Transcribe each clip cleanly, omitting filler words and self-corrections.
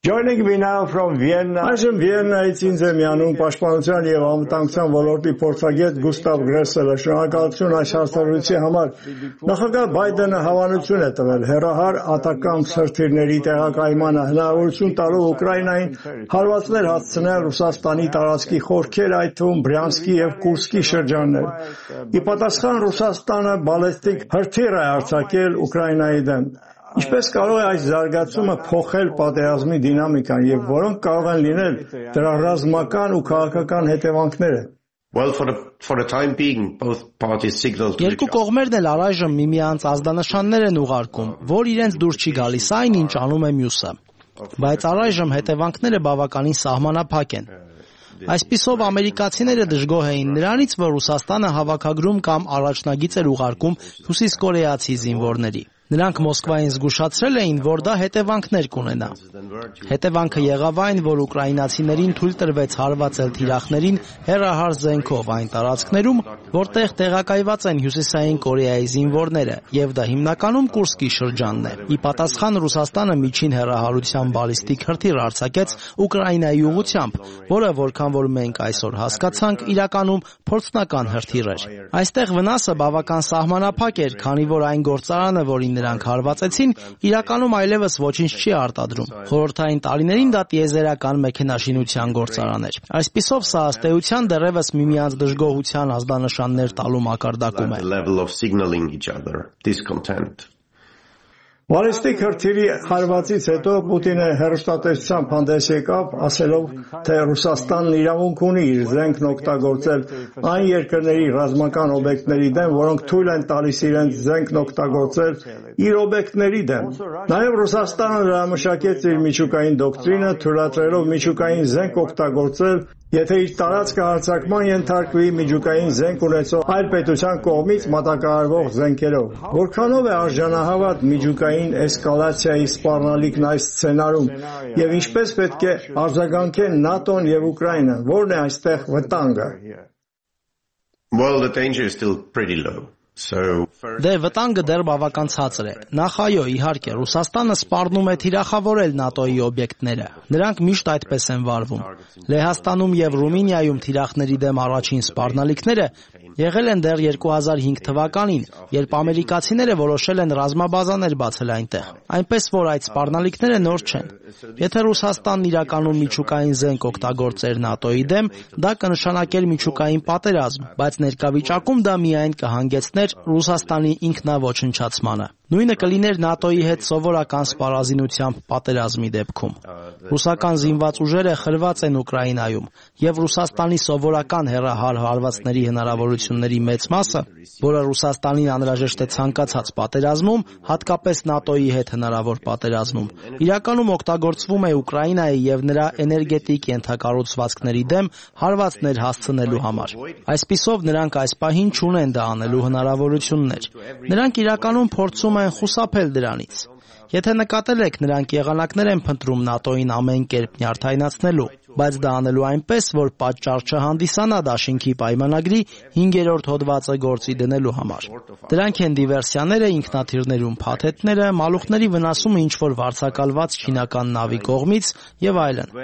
Joining me now from Vienna. Այժմ Վիեննայից ինձ է միանում Պաշտպանության և անվտանգության ոլորտի փորձագետ Գուստավ Գրեսելը։ Շնորհակալություն այս հարցազրույցի համար։ Նախագահ Բայդենը հավանություն է տվել հեռահար ատակամ սրթիռների տեղակայմանը, հնարավորություն տալով Ուկրաինային հարվածներ հասցնել Ռուսաստանի տարածքի խորքեր, այդ թվում Բրյանսկի և Կուրսկի շրջաններ։ Ի պատասխան Ռուսաստանը բալեստիկ հրթիռ է արձակել Ուկրաինայի դեմ։ Ինչպես կարող է այս զարգացումը փոխել պատերազմի դինամիկան և որոնք կարող են լինել դրա ռազմական ու քաղաքական հետևանքները։ Երկու կողմերն էլ առայժմ միմյանց ազդանշաններ են ուղարկում, որ իրենց դուր չի գալիս այն, ինչ անում է մյուսը։ Բայց առայժմ հետևանքները բավականին սահմանափակ են։ Այսպիսով ամերիկացիները դժգոհ էին նրանից, որ Ռուսաստանը հավաքագրում կամ առաջնագիծ էր ուղարկում հյուսիսկորեացի զինվորների։ Նրանք Մոսկվային զգուշացրել էին, որ դա հետևանքներ կունենա։ Հետևանքը եղավ այն, որ ուկրաինացիներին թույլ տրվեց հարվածել թիրախներին հեռահար զենքով այն տարածքներում, որտեղ տեղակայված են Հյուսիսային Կորեայի զինվորները, եւ դա հիմնականում Կուրսկի շրջանն է։ Ի պատասխան Ռուսաստանը միջին հեռահարության բալիստիկ հրթիռ արձակեց Ուկրաինայի ուղղությամբ, որը որքան որ մենք այսօր հասկացանք, իրականում փորձնական հրթիռ էր։ Այստեղ վնասը բավական սահմանափակ էր, քանի որ այն գործարանը, որին նրանք հարվածեցին, իրականում այլևս ոչինչ չի արտադրում։ Խորհրդային տարիներին դա տիեզերական մեքենաշինության գործարան էր։ Այսպիսով սա ըստ էության դեռևս միմյանց դժգոհության ազդանշաններ տալու մակարդակում է։ Բալիստիկ հրթիռի հարվածից հետո Պուտինը հեռուստատեսությամբ հանդես եկավ, ասելով, թե Ռուսաստանն իրավունք ունի իր զենքն օգտագործել այն երկրների ռազմական օբյեկտների դեմ, որոնք թույլ են տալիս իրենց զենքն օգտագործել իր օբյեկտների դեմ։ Նաև Ռուսաստանը վերամշակեց իր միջուկային դոկտրինը, թույլատրելով միջուկային զենք օգտագործել, եթե իր տարածքը հարձակման ենթարկվի միջուկային զենք ունեցող այլ պետության կողմից մատակարարվող զենքերով։ Որքանով է արժանահավատ միջուկային էսկալացիայի սպառնալիքն այս սցենարում եւ ինչպես պետք է արձագանքեն ՆԱՏՕ-ն եւ Ուկրաինան, որն է այստեղ վտանգը։ Դե վտանգը դեռ բավական ցածր է։ Նախ այո, իհարկե, Ռուսաստանը սպառնում է թիրախավորել ՆԱՏՕ-ի օբյեկտները։ Նրանք միշտ այդպես են վարվում։ Լեհաստանում եւ Ռումինիայում թիրախների դեմ առաջին սպառնալիքները եղել են դեռ 2005 թվականին, երբ ամերիկացիները որոշել են ռազմաբազաներ բացել այնտեղ։ Այնպես որ այդ սպառնալիքները նոր չեն։ Եթե Ռուսաստանն իրականում միջուկային զենք օգտագործեր ՆԱՏՕ-ի դեմ, դա կնշանակեր միջուկային պատերազմ, բայց ներկա վիճակում դա միայն կհանգեցներ Ռուսաստանի ինքնաոչնչացմանը։ Նույնը կլիներ ՆԱՏՕ-ի հետ սովորական սպառազինությամբ պատերազմի դեպքում։ Ռուսական զինված ուժերը խրված են Ուկրաինայում, եւ Ռուսաստանի սովորական հեռահար հարվածների հնարավորությունների մեծ մասը, որը Ռուսաստանին անհրաժեշտ է ցանկացած պատերազմում, հատկապես ՆԱՏՕ-ի հետ հնարավոր պատերազմում, իրականում օգտագործվում է Ուկրաինայի եւ նրա էներգետիկ ենթակառուցվածքների դեմ հարվածներ հասցնելու համար։ Այսպիսով նրանք այս պահին չունեն դա անելու հնարավորություններ։ Նրանք իրականում փորձում են խուսափել դրանից։ Եթե նկատել եք, նրանք եղանակներ են փնտրում ՆԱՏՕ-ին ամեն կերպ նյարդայնացնելու, բայց դա անելու այնպես, որ պատճառ չհանդիսանա դաշինքի պայմանագրի 5-րդ հոդվածը գործի դնելու համար։ Դրանք են դիվերսիաները ինքնաթիռներում, փաթեթները, մալուխների վնասումը ինչ-որ վարձակալված չինական նավի կողմից եւ այլն։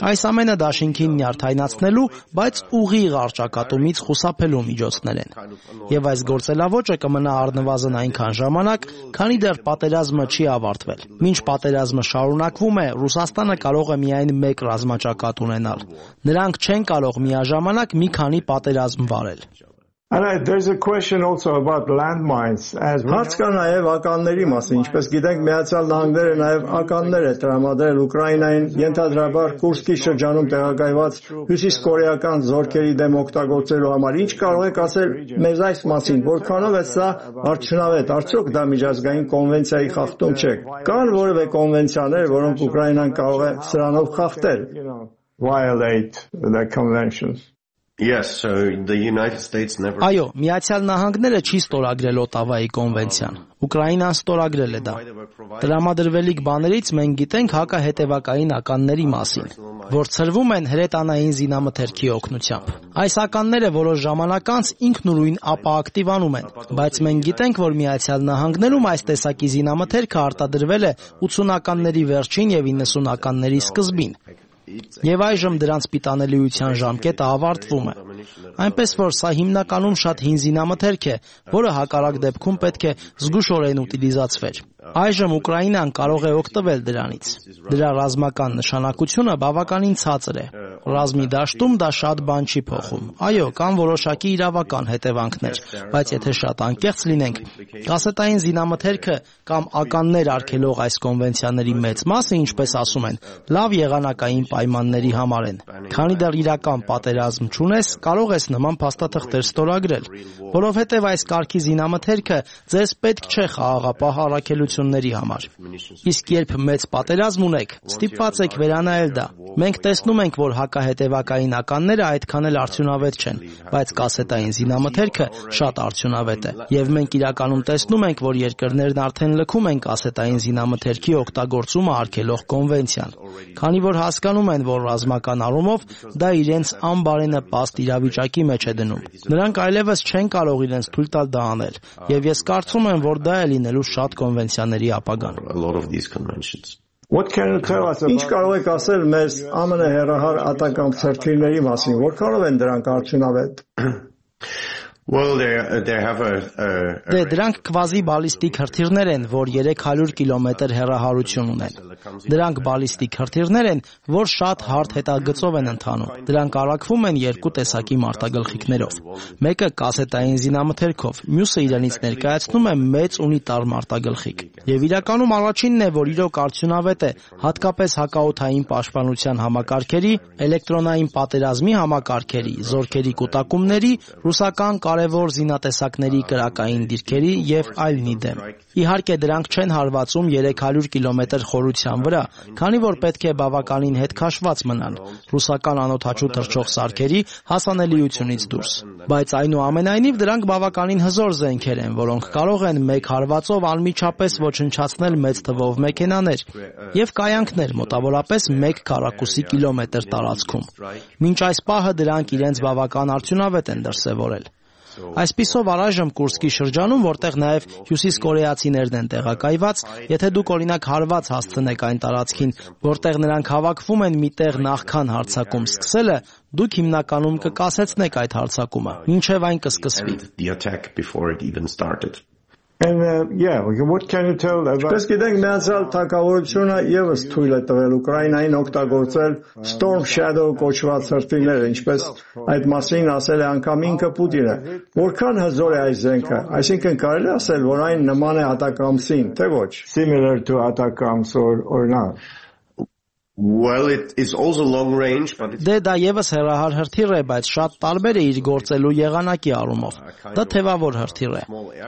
Այս ամենը դաշինքին նյարդայնացնելու, բայց ուղիղ առճակատումից խուսափելու միջոցներ են։ Եվ այս գործելավոճը կմնա առնվազն այնքան ժամանակ, քանի դեռ պատերազմը չի ավարտվել։ Մինչ պատերազմը շարունակվում է, Ռուսաստանը կարող է միայն մեկ ռազմաճակատ ունենալ։ Նրանք չեն կարող միաժամանակ մի քանի պատերազմ վարել։ There's a question also about landmines. Հարց կա նաև ականների մասին, ինչպես գիտենք, Միացյալ Նահանգները նաև ականներ է տրամադրել Ուկրաինային ենթադրաբար Կուրսկի շրջանում տեղակայված հյուսիսկորեական զորքերի դեմ օգտագործելու համար։ Ինչ կարող եք ասել մեզ այս մասին, որքանով է սա արդյունավետ, արդյոք դա միջազգային կոնվենցիայի խախտում չէ։ Կան որևէ կոնվենցիաներ, որոնք Ուկրաինան կարող է սրանով խախտել։ Violate the conventions. Yes, so the United States never. Այո, Միացյալ Նահանգները չի ստորագրել Օտավայի կոնվենցիան։ Ուկրաինան ստորագրել է դա։ Տրամադրվելիք բաներից մենք գիտենք հակահետևակային ականների մասին, որ ցրվում են հրետանային զինամթերքի օգնությամբ։ Այս ականները որոշ ժամանակ անց ինքնուրույն ապակտիվանում են, բայց մենք գիտենք, որ Միացյալ Նահանգներում այս տեսակի զինամթերքը արտադրվել է 80-ականների վերջին եւ 90-ականների սկզբին։ Եվ այժմ դրանց պիտանելիության ժամկետը ավարտվում է։ Այնպես որ սա հիմնականում շատ հին զինամթերք է, որը հակառակ դեպքում պետք է զգուշորեն ուտիլիզացվեր։ Այժմ Ուկրաինան կարող է օգտվել դրանից։ Դրա ռազմական նշանակությունը բավականին ցածր է։ Ռազմի դաշտում դա շատ բան չի փոխում։ Այո, կան որոշակի իրավական հետևանքներ, բայց եթե շատ անկեղծ լինենք, կասետային զինամթերքը կամ ականներ արգելող այս կոնվենցիաների մեծ մասը, ինչպես ասում են, լավ եղանակային պայմանների համար են։ Քանի դեռ իրական պատերազմ չունես, կարող ես նման փաստաթղթեր ստորագրել, որովհետև այս կարգի զինամթերքը ձեզ պետք չէ խաղաղապահ առաքելությունների համար։ Իսկ երբ մեծ պատերազմ ունեք, ստիպված եք վերանայել դա։ Մենք տեսնում ենք, որ հակահետևակային ականները այդքան էլ արդյունավետ չեն, բայց կասետային զինամթերքը շատ արդյունավետ է։ Եվ մենք իրականում տեսնում ենք, որ երկրներն արդեն լքում են կասետային զինամթերքի օգտագործումը արգելող կոնվենցիան, քանի որ հասկանում են, որ ռազմական առումով դա իրենց անբարենպաստ իրավիճակի մեջ է դնում։ Նրանք այլևս չեն կարող իրենց թույլ տալ դա անել, եւ ես կարծում եմ, որ դա է լինելու շատ կոնվենցիաների ապագան։ Ինչ կարող եք ասել մեզ ԱՄՆ հեռահար ատական ցրթիրների մասին, որքանով են դրանք արդյունավետ։ Դրանք կվազի բալիստիկ հրթիռներ են, որ 300 կիլոմետր հեռահարություն ունեն։ Դրանք բալիստիկ հրթիռներ են, որ շատ հարթ հետագծով են ընթանում։ Դրանք առաքվում են երկու տեսակի մարտագլխիկներով։ Մեկը կասետային զինամթերքով, մյուսը իրենից ներկայացնում է մեծ ունիտար մարտագլխիկ։ Եվ իրականում առաջինն է, որ իրոք արդյունավետ է, հատկապես հակաօդային պաշտպանության համակարգերի, էլեկտրոնային պատերազմի համակարգերի, զորքերի կուտակումների, ռուսական կարևոր զինատեսակների կրակային դիրքերի եւ այլնի դեմ։ Իհարկե դրանք չեն հարվածում 300 կիլոմետր խորության վրա, քանի որ պետք է բավականին հետ քաշված մնան ռուսական անօդաչու թռչող սարքերի հասանելիությունից դուրս։ Բայց այնուամենայնիվ դրանք բավականին հզոր զենքեր են, որոնք կարող են մեկ հարվածով անմիջապես ոչնչացնել մեծ թվով մեքենաներ եւ կայանքներ մոտավորապես 1 քառակուսի կիլոմետր տարածքում։ Մինչ այս պահը դրանք իրենց բավական արդյունավետ են դրսևորել։ Այսպիսով առայժմ Կուրսկի շրջանում, որտեղ նաև հյուսիսկորեացիներն են տեղակայված, եթե դուք օրինակ հարված հասցնեք այն տարածքին, որտեղ նրանք հավաքվում են մի տեղ նախքան հարձակում սկսելը, դուք հիմնականում կկասեցնեք այդ հարձակումը, մինչև այն կսկսվի։ Ինչպես գիտենք, միացյալ թագավորությունը ևս թույլ է տվել Ուկրաինային օգտագործել Storm Shadow կոչված հրթիռները, ինչպես այդ մասին ասել է անգամ ինքը Պուտինը։ Որքան հզոր է այս զենքը, այսինքն կարելի է ասել, որ այն նման է Atacams-ին, թե ոչ։ Similar to Atacams or not. Well, it is also long range, but it's... Դա եւս հեռահար հրթիռ է, բայց շատ տարբեր է իր գործելու եղանակի առումով։ Դա թևավոր հրթիռ է։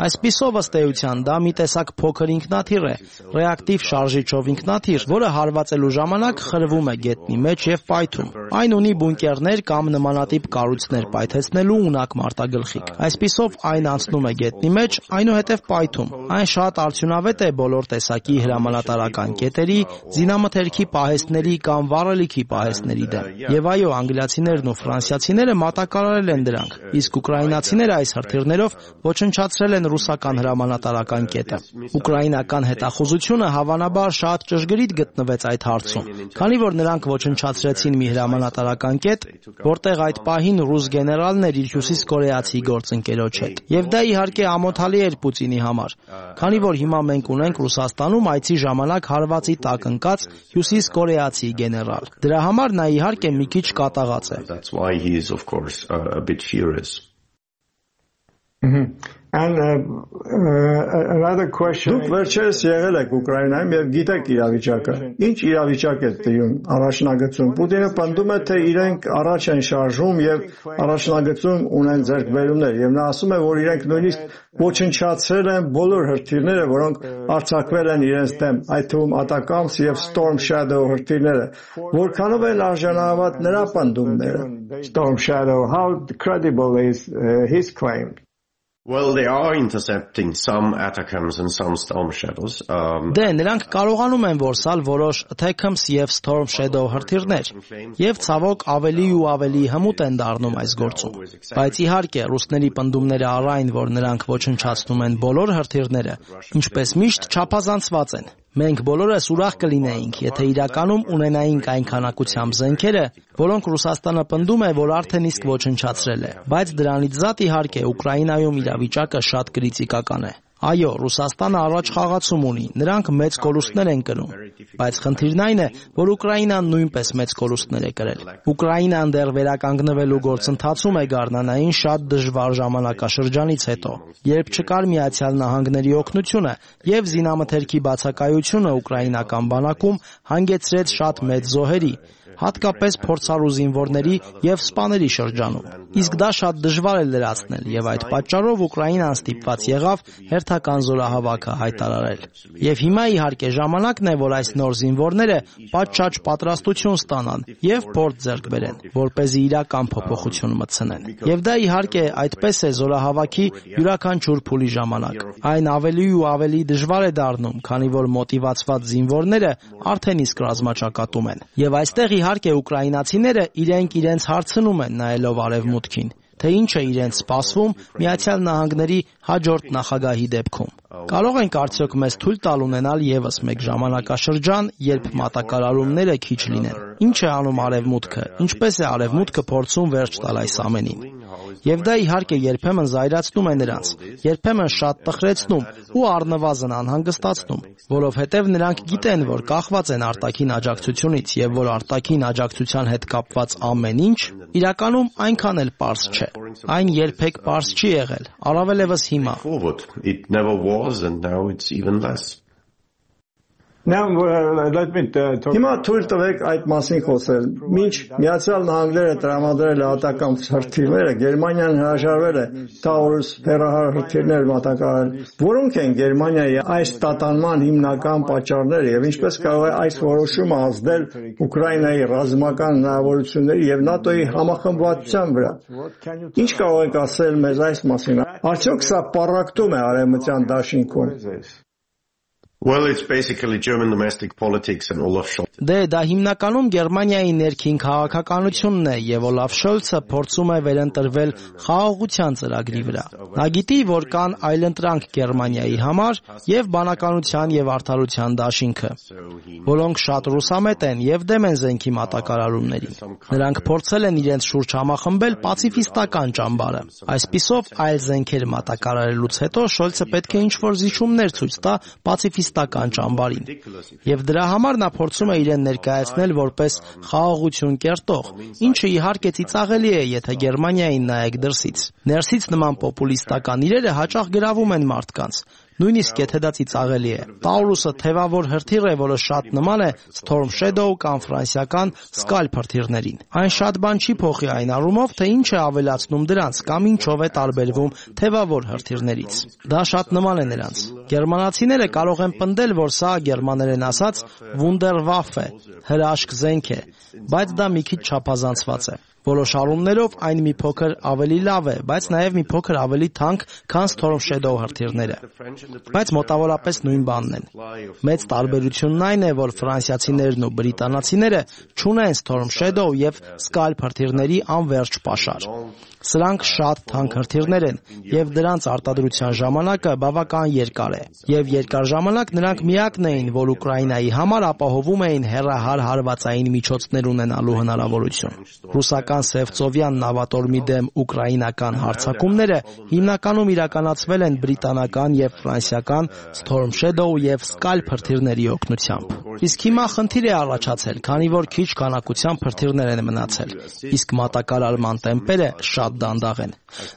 Այսպիսով ըստ էության դա մի տեսակ փոքր ինքնաթիռ է, ռեակտիվ շարժիչով ինքնաթիռ, որը հարվածելու ժամանակ խրվում է գետնի մեջ եւ պայթում։ Այն ունի բունկերներ կամ նմանատիպ կառույցներ պայթեցնելու ունակ մարտագլխիկ։ Այսպիսով այն անցնում է գետնի մեջ, այնուհետև պայթում։ Այն շատ արդյունավետ է բոլոր տեսակի հրամանատարական կետերի, զինամթերքի պահեստների կամ վառելիքի պահեստների դեմ։ Եվ այո, անգլիացիներն ու ֆրանսիացիները մատակարարել են դրանք, իսկ ուկրաինացիները այս հրթիռներով ոչնչացրել են ռուսական հրամանատարական կետը։ Ուկրաինական հետախուզությունը հավանաբար շատ ճշգրիտ գտնվեց այդ հարցում, քանի որ նրանք ոչնչացրեցին մի հրամանատարական կետ, որտեղ այդ պահին ռուս գեներալն էր իր հյուսիսկորեացի գործընկերոջ հետ։ Եվ դա իհարկե ամոթալի էր Պուտինի համար, քանի որ հիմա մենք ունենք Ռուսաստանում այցի ժամանակ հարվածի տակ ընկած հյուսիսկորեացի գեներալ։ Դրա համար նա իհարկե մի քիչ կատաղած է։ That's why he is of course a bit furious. And another question. Դուք վերջերս եղել եք Ուկրաինայում եւ գիտեք իրավիճակը։ Ինչ իրավիճակ է տիրում առաջնագծում։ Պուտինը պնդում է, թե իրենք առաջ են շարժում եւ առաջնագծում ունեն ձեռքբերումներ եւ նա ասում է, որ իրենք նույնիսկ ոչնչացրել են բոլոր հրթիռները, որոնք արձակվել են իրենց դեմ, այդ թվում Atacams եւ Storm Shadow հրթիռները։ Որքանով են արժանահավատ նրա պնդումները։ Storm Shadow, how credible is his claim? Well, they are intercepting some Atacams and some Storm Shadows. Դե, նրանք կարողանում են որսալ որոշ Atacams եւ Storm Shadow հրթիռներ, եւ ցավոք ավելի ու ավելի հմուտ են դառնում այս գործում։ Բայց իհարկե, ռուսների պնդումները առայն, որ նրանք ոչնչացնում են բոլոր հրթիռները, ինչպես միշտ չափազանցված են։ Մենք բոլորս ուրախ կլինեինք, եթե իրականում ունենայինք այն քանակությամբ զենքերը, որոնք Ռուսաստանը պնդում է, որ արդեն իսկ ոչնչացրել է։ Բայց դրանից զատ իհարկե Ուկրաինայում իրավիճակը շատ կրիտիկական է։ Այո, Ռուսաստանը առաջ խաղացում ունի, նրանք մեծ կորուստներ են կրում, բայց խնդիրն այն է, որ Ուկրաինան նույնպես մեծ կորուստներ է կրել։ Ուկրաինան դեռ վերականգնվելու գործընթացում է գարնանային շատ դժվար ժամանակաշրջանից հետո, երբ չկար Միացյալ Նահանգների օգնությունը եւ զինամթերքի բացակայությունը ուկրաինական բանակում հանգեցրեց շատ մեծ զոհերի, հատկապես փորձառու զինվորների եւ սպաների շրջանում։ Իսկ դա շատ դժվար է լրացնել եւ այդ պատճառով Ուկրաինան ստիպված եղավ հերթական զորահավաքը հայտարարել։ Եվ հիմա իհարկե ժամանակն է, որ այս նոր զինվորները պատշաճ պատրաստություն ստանան եւ փորձ ձեռք բերեն, որպեսզի իրական փոփոխություն մտցնեն։ Եվ դա իհարկե այդպես է զորահավաքի յուրաքանչյուր փուլի ժամանակ։ Այն ավելի ու ավելի դժվար է դառնում, քանի որ մոտիվացված զինվորները արդեն իսկ ռազմաճակատում են։ Եվ այստեղ իհարկե ուկրաինացիները իրենց հարցնում են նայելով արևմուտքին, թե ինչ է իրենց սպասվում Միացյալ Նահանգների հաջորդ նախագահի դեպքում։ Կարող ենք արդյոք մեզ թույլ տալ ունենալ եւս մեկ ժամանակաշրջան, երբ մատակարարումները քիչ լինեն։ Ինչ է անում արևմուտքը, ինչպես է արևմուտքը փորձում վերջ տալ այս ամենին։ Եվ դա իհարկե երբեմն զայրացնում է նրանց, երբեմն շատ տխրեցնում ու առնվազն անհանգստացնում, որովհետև նրանք գիտեն, որ կախված են արտաքին աջակցությունից եւ որ արտաքին աջակցության հետ կապված ամեն ինչ իրականում այնքան էլ պարզ չէ։ Այն երբեք պարզ չի եղել, առավելևս հիմա։ It never was and now it's even less. Now let me talk. Հիմա թույլ տվեք այդ մասին խոսել։ Մինչ Միացյալ Նահանգները տրամադրել է Atacams հրթիռները, Գերմանիան հրաժարվել է Taurus հեռահար հրթիռներ մատակարարել։ Որոնք են Գերմանիայի այս տատանման հիմնական պատճառները եւ ինչպես կարող է այս որոշումը ազդել Ուկրաինայի ռազմական հնարավորությունների եւ ՆԱՏՕ-ի համախմբվածության վրա։ Ինչ կարող եք ասել մեզ այս մասին։ Արդյոք սա պառակտում է արևմտյան դաշինքում։ Well, it's basically German domestic politics and Olaf Scholz. Դե դա հիմնականում Գերմանիայի ներքին քաղաքականությունն է եւ Օլաֆ Շոլցը փորձում է վերընտրվել խաղաղության ծրագրի վրա։ Նա գիտի, որ կան այլընտրանք Գերմանիայի համար եւ բանականության եւ արդարության դաշինքը, որոնք շատ ռուսամետ են եւ դեմ են զենքի մատակարարումներին։ Նրանք փորձել են իրենց շուրջ համախմբել պացիֆիստական ճամբարը։ Այսպիսով այլ զենքեր մատակարարելուց հետո Շոլցը պետք է ինչ-որ զիջումներ ցույց տա պացիֆիստական ճամբարին։ Եվ դրա համար նա փորձում է իրեն ներկայացնել որպես խաղաղություն կերտող, ինչը իհարկե ծիծաղելի է, եթե Գերմանիային նայեք դրսից։ Ներսից նման պոպուլիստական իրերը հաճախ գրավում են մարդկանց, նույնիսկ եթե դա ծիծաղելի է։ Taurus-ը թևավոր հրթիռ է, որը շատ նման է Storm Shadow կամ ֆրանսիական Scalp հրթիռներին։ Այն շատ բան չի փոխի այն առումով, թե ինչ է ավելացնում դրանց կամ ինչով է տարբերվում թևավոր հրթիռներից։ Դա շատ նման է նրանց։ Գերմանացիները կարող են պնդել, որ սա գերմաներեն ասած Wunderwaffe, հրաշք զենք է, բայց դա մի քիչ չափազանցված է։ Որոշ առումներով այն մի փոքր ավելի լավ է, բայց նաև մի փոքր ավելի թանկ, քան Storm Shadow հրթիռները։ Բայց մոտավորապես նույն բանն են։ Մեծ տարբերությունն այն է, որ ֆրանսիացիներն ու բրիտանացիները չունեն Storm Shadow եւ Scalp հրթիռների անվերջ պաշար։ Սրանք շատ թանկ հրթիռներ են եւ դրանց արտադրության ժամանակը բավական երկար է։ Եվ երկար ժամանակ նրանք միակն էին, որ Ուկրաինայի համար ապահովում էին հեռահար հարվածային միջոցներ ունենալու հնարավորություն։ Ռուսական ռուսական Սևծովյան նավատորմի դեմ ուկրաինական հարձակումները հիմնականում իրականացվել են բրիտանական եւ ֆրանսիական Storm Shadow եւ Scalp հրթիռների օգնությամբ։ Իսկ հիմա խնդիր է առաջացել, քանի որ քիչ քանակության հրթիռներ են մնացել, իսկ մատակարարման տեմպերը շատ դանդաղ են։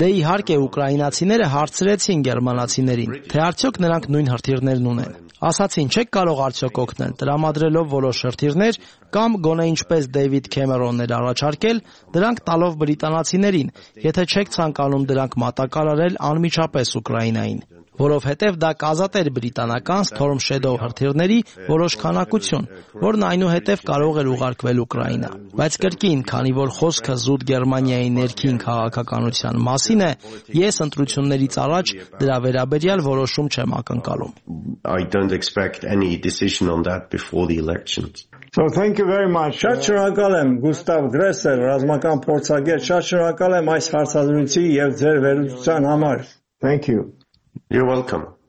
Դե իհարկե ուկրաինացիները հարցրեցին գերմանացիներին, թե արդյոք նրանք նույն հրթիռներն ունեն։ Ասացին, չեք կարող արդյոք օգնել, տրամադրելով որոշ հրթիռներ կամ գոնե ինչպես Դեյվիդ Քեմերոնն էր առաջարկել, դրանք տալով բրիտանացիներին, եթե չեք ցանկանում դրանք մատակարարել անմիջապես Ուկրաինային, որովհետև դա կազատեր բրիտանական Storm Shadow հրթիռների որոշ քանակություն, որն այնուհետև կարող էր ուղարկվել Ուկրաինա։ Բայց կրկին, քանի որ խոսքը զուտ Գերմանիայի ներքին քաղաքականության մասին է, ես ընտրություններից առաջ դրա վերաբերյալ որոշում չեմ ակնկալում։ I don't expect any decision on that before the elections. So thank you very much. Շատ շնորհակալ եմ Գուստավ Գրեսեր, ռազմական փորձագետ, շատ շնորհակալ եմ այս հարցազրույցի եւ ձեր վերլուծության համար։ Thank you. You're welcome.